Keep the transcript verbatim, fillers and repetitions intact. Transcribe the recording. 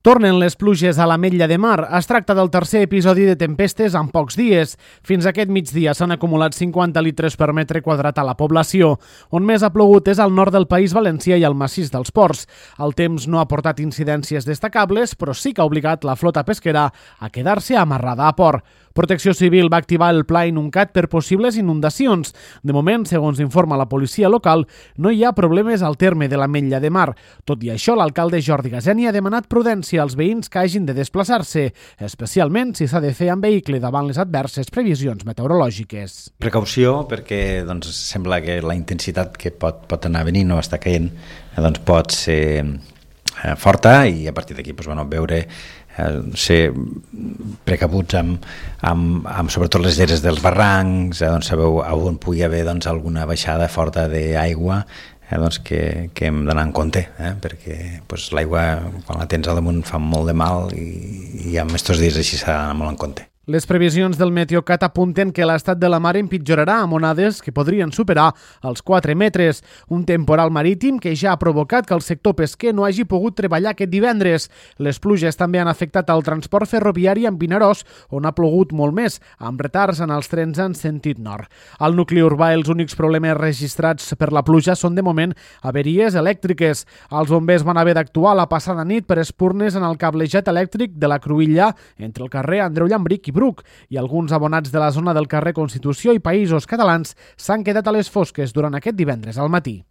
Tornen les pluges a l'Ametlla de Mar. Es tracta del tercer episodi de tempestes en pocs dies. Fins aquest migdia s'han acumulat cinquanta litres per metre quadrat a la població. On més ha plogut és al nord del País Valencià i al massís dels Ports. El temps no ha portat incidències destacables, però sí que ha obligat la flota pesquera a quedar-se amarrada a port. Protecció Civil va activar el pla Inuncat per possibles inundacions. De moment, segons informa la policia local, no hi ha problemes al terme de l'Ametlla de Mar. Tot i això, l'alcalde Jordi Gaseni ha demanat prudència als veïns que hagin de desplaçar-se, especialment si s'ha de fer amb vehicle davant les adverses previsions meteorològiques. Precaució, perquè doncs, sembla que la intensitat que pot, pot anar venint o està caient doncs, pot ser eh, forta i a partir d'aquí doncs, bueno, veure eh, ser precabuts amb, amb, amb sobretot les lleres dels barrancs, eh, doncs sabeu on pugui haver doncs, alguna baixada forta d'aigua, eh, doncs que, que hem d'anar en compte, eh, perquè doncs, l'aigua quan la tens al damunt fa molt de mal i, i amb aquests dies així s'ha d'anar molt en compte. Les previsions del Meteocat apunten que l'estat de la mar empitjorarà amb onades que podrien superar els quatre metres. Un temporal marítim que ja ha provocat que el sector pesquer no hagi pogut treballar aquest divendres. Les pluges també han afectat el transport ferroviari en Vinaròs, on ha plogut molt més, amb retards en els trens en sentit nord. Al nucli urbà, els únics problemes registrats per la pluja són de moment averies elèctriques. Els bombers van haver d'actuar la passada nit per espurnes en el cablejat elèctric de la Cruïlla entre el carrer Andreu Llambric i Bruc, i alguns abonats de la zona del carrer Constitució i Països Catalans s'han quedat a les fosques durant aquest divendres al matí.